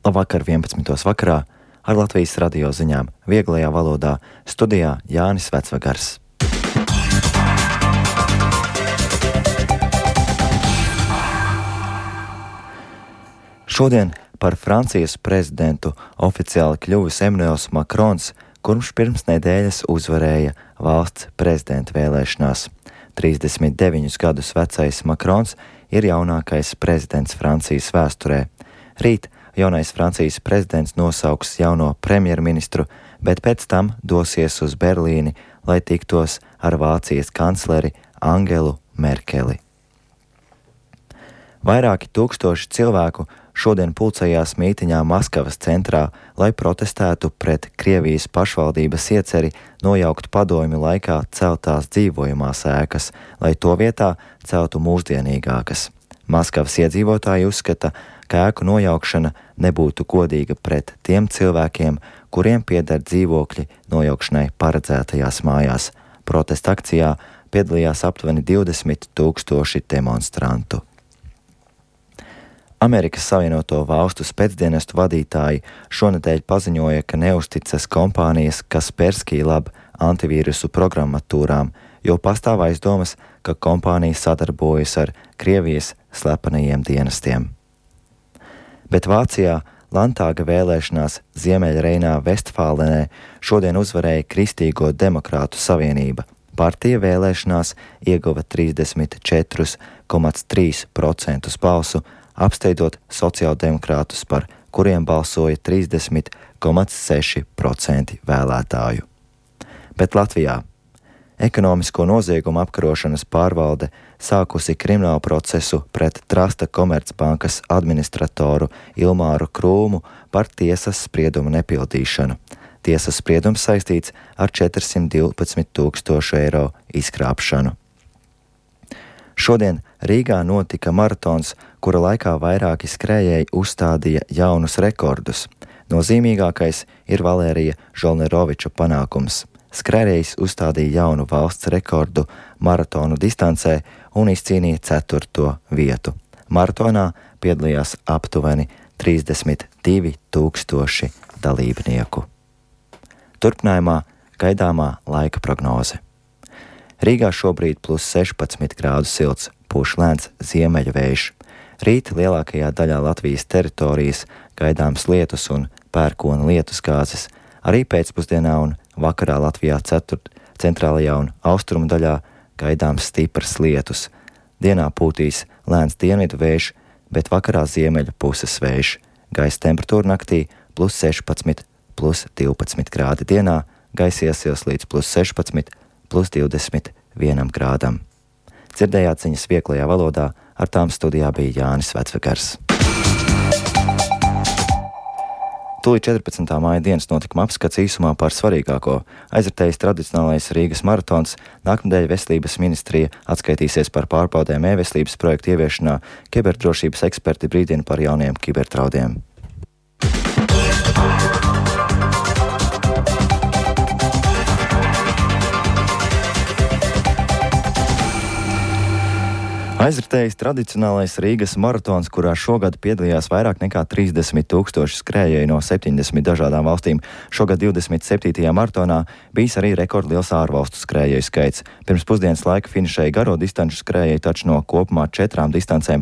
Labvakar 11. vakarā ar Latvijas radio ziņām vieglajā valodā studijā Jānis Vecvagars. Šodien par Francijas prezidentu oficiāli kļuvis Emmanuels Macrons, kurš pirms nedēļas uzvarēja valsts prezidenta vēlēšanās. 39 gadus vecais Macrons ir jaunākais prezidents Francijas vēsturē. Rīt jaunais Francijas prezidents nosauks jauno premjerministru, bet pēc tam dosies uz Berlīni, lai tiktos ar Vācijas kancleri Angelu Merkeli. Vairāki tūkstoši cilvēku šodien pulcējās mītiņā Maskavas centrā, lai protestētu pret Krievijas pašvaldības ieceri nojaukt padomju laikā celtās dzīvojamās ēkas, lai to vietā celtu mūsdienīgākas. Maskavas iedzīvotāji uzskata, ka ēku nojaukšana nebūtu godīga pret tiem cilvēkiem, kuriem pieder dzīvokļi nojaukšanai paredzētajās mājās. Protesta akcijā piedalījās aptuveni 20 000 demonstrantu. Amerikas Savienoto Valstu spēcdienestu vadītāji šonedēļ paziņoja, ka neusticas kompānijas Kaspersky Lab antivīrusu programmatūrām, jo pastāv aizdomas, ka kompānija sadarbojas ar Krievijas slepenajiem dienestiem. Bet Vācijā Landtāga vēlēšanās Ziemeļreinā Vestfālenē šodien uzvarēja Kristīgo demokrātu savienība. Partija vēlēšanās ieguva 34,3% balsu, apsteidzot sociāldemokrātus, par kuriem balsoja 30,6% vēlētāju. Bet Latvijā ekonomisko noziegumu apkarošanas pārvalde sākusi kriminālu procesu pret Trasta Komercbankas administratoru Ilmāru Krūmu par tiesas spriedumu nepildīšanu. Tiesas spriedums saistīts ar 412 000 eiro izkrāpšanu. Šodien Rīgā notika maratons, kura laikā vairāki skrējēji uzstādīja jaunus rekordus. Nozīmīgākais ir Valērija Žolneroviča panākums. Skrējējs uzstādīja jaunu valsts rekordu maratonu distancē un izcīnīja 4. vietu. Maratonā piedalījās aptuveni 32 000 dalībnieku. Turpinājumā gaidāmā laika prognoze. Rīgā šobrīd +16 grādu silts, pūš lēns ziemeļu vējš. Rīt lielākajā daļā Latvijas teritorijas gaidāms lietus un pērkona lietusgāzes. Arī pēcpusdienā un vakarā Latvijā centrālajā un austrumu daļā gaidāms stiprs lietus. Dienā pūtīs lēns dienvidu vējš, bet vakarā ziemeļu puses vējš. Gaisa temperatūra naktī +16, +12 grādi. Dienā gaisa iesils līdz +16, +21 grādam. Dzirdējāt ziņas vieglajā valodā, ar tām studijā bija Jānis Vecvagars. Tūlīt 14. māja dienas notikuma apskats īsumā par svarīgāko. Aizritējis tradicionālais Rīgas maratons, nākamnedēļ Veselības ministrija atskaitīsies par pārbaudēm e-veselības projektu ieviešanā, kiberdrošības eksperti brīdina par jauniem kibertraudiem. Aizritējis tradicionālais Rīgas maratons, kurā šogad piedalījās vairāk nekā 30 000 skrējēji no 70 dažādām valstīm. Šogad 27. maratonā bijis arī rekordliels ārvalstu skrējēju skaits. Pirms pusdienas laika finišēja garo distanču skrējēji, taču no kopumā 4 distancēm